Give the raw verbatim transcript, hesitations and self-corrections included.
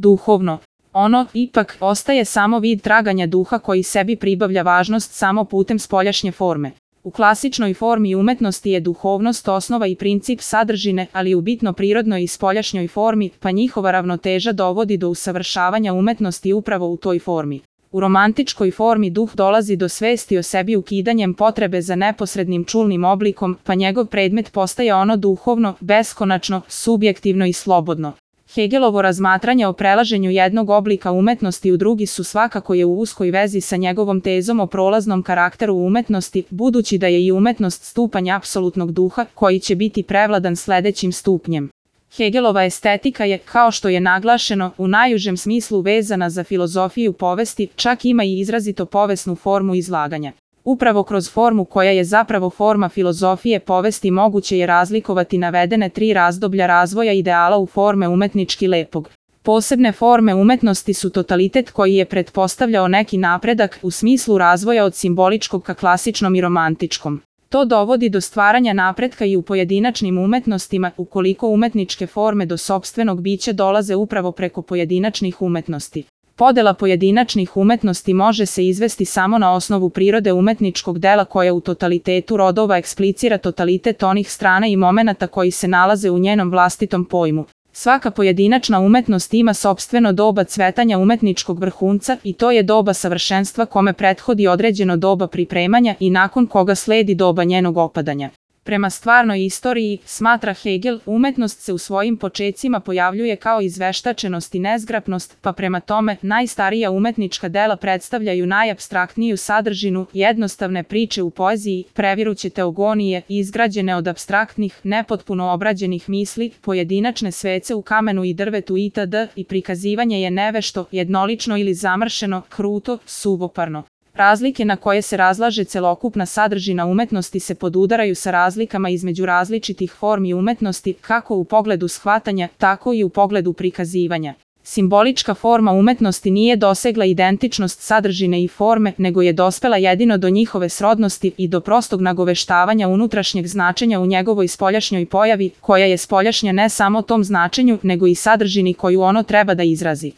Duhovno. Ono, ipak, ostaje samo vid traganja duha koji sebi pribavlja važnost samo putem spoljašnje forme. U klasičnoj formi umetnosti je duhovnost osnova i princip sadržine, ali u bitno prirodnoj i spoljašnjoj formi, pa njihova ravnoteža dovodi do usavršavanja umetnosti upravo u toj formi. U romantičkoj formi duh dolazi do svesti o sebi ukidanjem potrebe za neposrednim čulnim oblikom, pa njegov predmet postaje ono duhovno, beskonačno, subjektivno i slobodno. Hegelovo razmatranje o prelaženju jednog oblika umetnosti u drugi su svakako je u uskoj vezi sa njegovom tezom o prolaznom karakteru umetnosti, budući da je i umetnost stupanj apsolutnog duha, koji će biti prevladan sledećim stupnjem. Hegelova estetika je, kao što je naglašeno, u najužem smislu vezana za filozofiju povesti, čak ima i izrazito povesnu formu izlaganja. Upravo kroz formu koja je zapravo forma filozofije povesti moguće je razlikovati navedene tri razdoblja razvoja ideala u forme umetnički lepog. Posebne forme umetnosti su totalitet koji je pretpostavljao neki napredak u smislu razvoja od simboličkog ka klasičnom i romantičkom. To dovodi do stvaranja napretka i u pojedinačnim umetnostima, ukoliko umetničke forme do sopstvenog bića dolaze upravo preko pojedinačnih umetnosti. Podela pojedinačnih umetnosti može se izvesti samo na osnovu prirode umetničkog dela koja u totalitetu rodova eksplicira totalitet onih strana i momenata koji se nalaze u njenom vlastitom pojmu. Svaka pojedinačna umetnost ima sopstveno doba cvetanja umetničkog vrhunca i to je doba savršenstva kome prethodi određeno doba pripremanja i nakon koga sledi doba njenog opadanja. Prema stvarnoj istoriji, smatra Hegel, umetnost se u svojim počecima pojavljuje kao izveštačenost i nezgrapnost, pa prema tome, najstarija umetnička dela predstavljaju najapstraktniju sadržinu, jednostavne priče u poeziji, previruće teogonije, izgrađene od apstraktnih, nepotpuno obrađenih misli, pojedinačne svece u kamenu i drvetu itd. I prikazivanje je nevešto, jednolično ili zamršeno, kruto, suvoparno. Razlike na koje se razlaže celokupna sadržina umetnosti se podudaraju sa razlikama između različitih formi umetnosti, kako u pogledu shvatanja, tako i u pogledu prikazivanja. Simbolička forma umetnosti nije dosegla identičnost sadržine i forme, nego je dospela jedino do njihove srodnosti i do prostog nagoveštavanja unutrašnjeg značenja u njegovoj spoljašnjoj pojavi, koja je spoljašnja ne samo tom značenju, nego i sadržini koju ono treba da izrazi.